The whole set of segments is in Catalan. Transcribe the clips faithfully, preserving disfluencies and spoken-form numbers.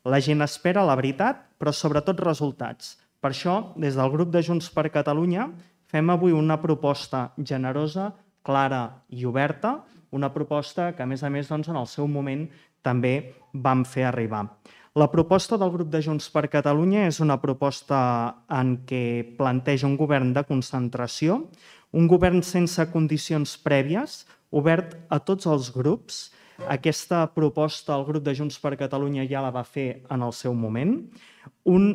La gent espera la veritat, però sobretot resultats. Per això, des del grup de Junts per Catalunya, fem avui una proposta generosa, clara i oberta, una proposta que, a més a més, doncs, en el seu moment també vam fer arribar. La proposta del grup de Junts per Catalunya és una proposta en què planteja un govern de concentració, un govern sense condicions prèvies, obert a tots els grups. Aquesta proposta el grup de Junts per Catalunya ja la va fer en el seu moment. Un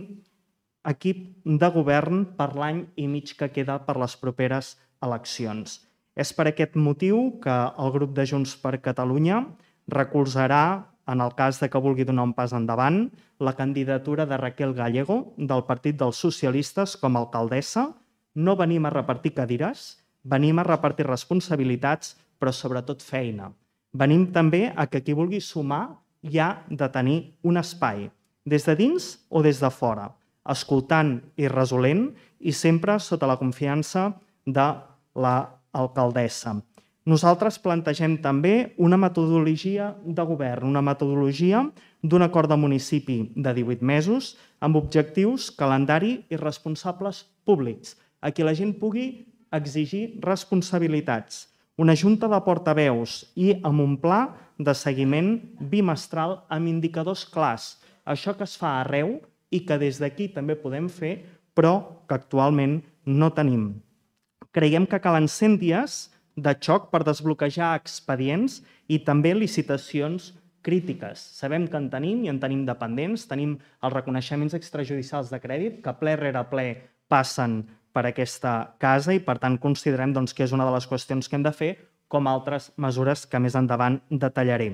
equip de govern per l'any i mig que queda per les properes eleccions. És per aquest motiu que el grup de Junts per Catalunya recolzarà, en el cas de que vulgui donar un pas endavant, la candidatura de Raquel Gallego, del Partit dels Socialistes, com a alcaldessa. No venim a repartir cadires, venim a repartir responsabilitats, però sobretot feina. Venim també a que qui vulgui sumar hi ha de tenir un espai, des de dins o des de fora, escoltant i resolent i sempre sota la confiança de l'alcaldessa. Nosaltres plantegem també una metodologia de govern, una metodologia d'un acord de municipi de divuit mesos amb objectius, calendari i responsables públics, a qui la gent pugui exigir responsabilitats. Una junta de portaveus i amb un pla de seguiment bimestral amb indicadors clars. Això que es fa arreu i que des d'aquí també podem fer, però que actualment no tenim. Creiem que calen cent dies de xoc per desbloquejar expedients i també licitacions crítiques. Sabem que en tenim i en tenim dependents, tenim els reconeixements extrajudicials de crèdit que ple rere ple passen per aquesta casa i per tant considerem doncs, que és una de les qüestions que hem de fer, com altres mesures que més endavant detallaré.